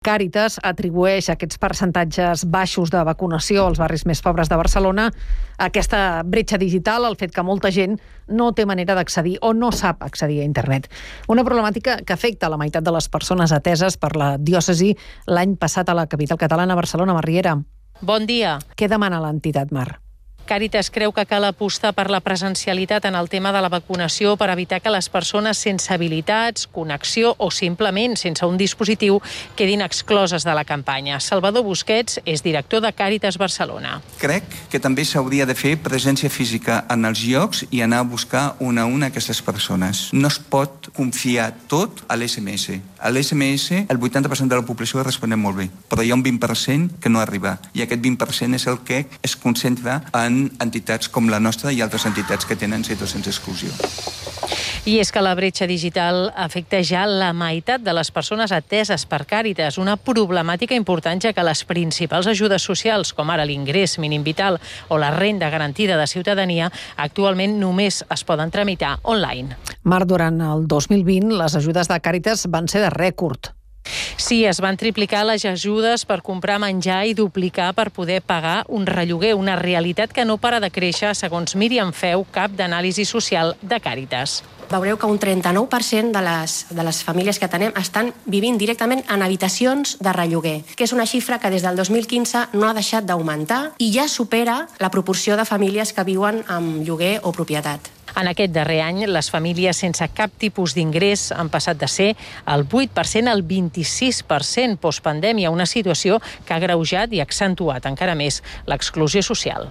Càritas atribueix aquests percentatges baixos de vacunació als barris més pobres de Barcelona a aquesta bretxa digital, el fet que molta gent no té manera d'accedir o no sap accedir a internet. Una problemàtica que afecta la meitat de les persones ateses per la diòcesi l'any passat a la capital catalana, Barcelona. Mar Riera. Bon dia. Què demana l'entitat, Mar? Càritas creu que cal apostar per la presencialitat en el tema de la vacunació per evitar que les persones sense habilitats, connexió o simplement sense un dispositiu quedin excloses de la campanya. Salvador Busquets és director de Càritas Barcelona. Crec que també s'hauria de fer presència física en els llocs i anar a buscar una a una aquestes persones. No es pot confiar tot a l'SMS. A l'SMS el 80% de la població responem molt bé, però hi ha un 20% que no arriba i aquest 20% és el que es concentra en entitats com la nostra i altres entitats que tenen situacions d'exclusió. I és que la bretxa digital afecta ja la meitat de les persones ateses per Càritas, una problemàtica important ja que les principals ajudes socials, com ara l'ingrés mínim vital o la renda garantida de ciutadania, actualment només es poden tramitar online. Mar, durant el 2020 les ajudes de Càritas van ser de rècord. Sí, es van triplicar les ajudes per comprar menjar i duplicar per poder pagar un relloguer, una realitat que no para de créixer, segons Míriam Feu, cap d'anàlisi social de Càritas. Veureu que un 39% de les famílies que atenem estan vivint directament en habitacions de relloguer, que és una xifra que des del 2015 no ha deixat d'augmentar i ja supera la proporció de famílies que viuen amb lloguer o propietat. En aquest darrer any, les famílies sense cap tipus d'ingrés han passat de ser el 8% al 26% postpandèmia, una situació que ha agreujat i accentuat encara més l'exclusió social.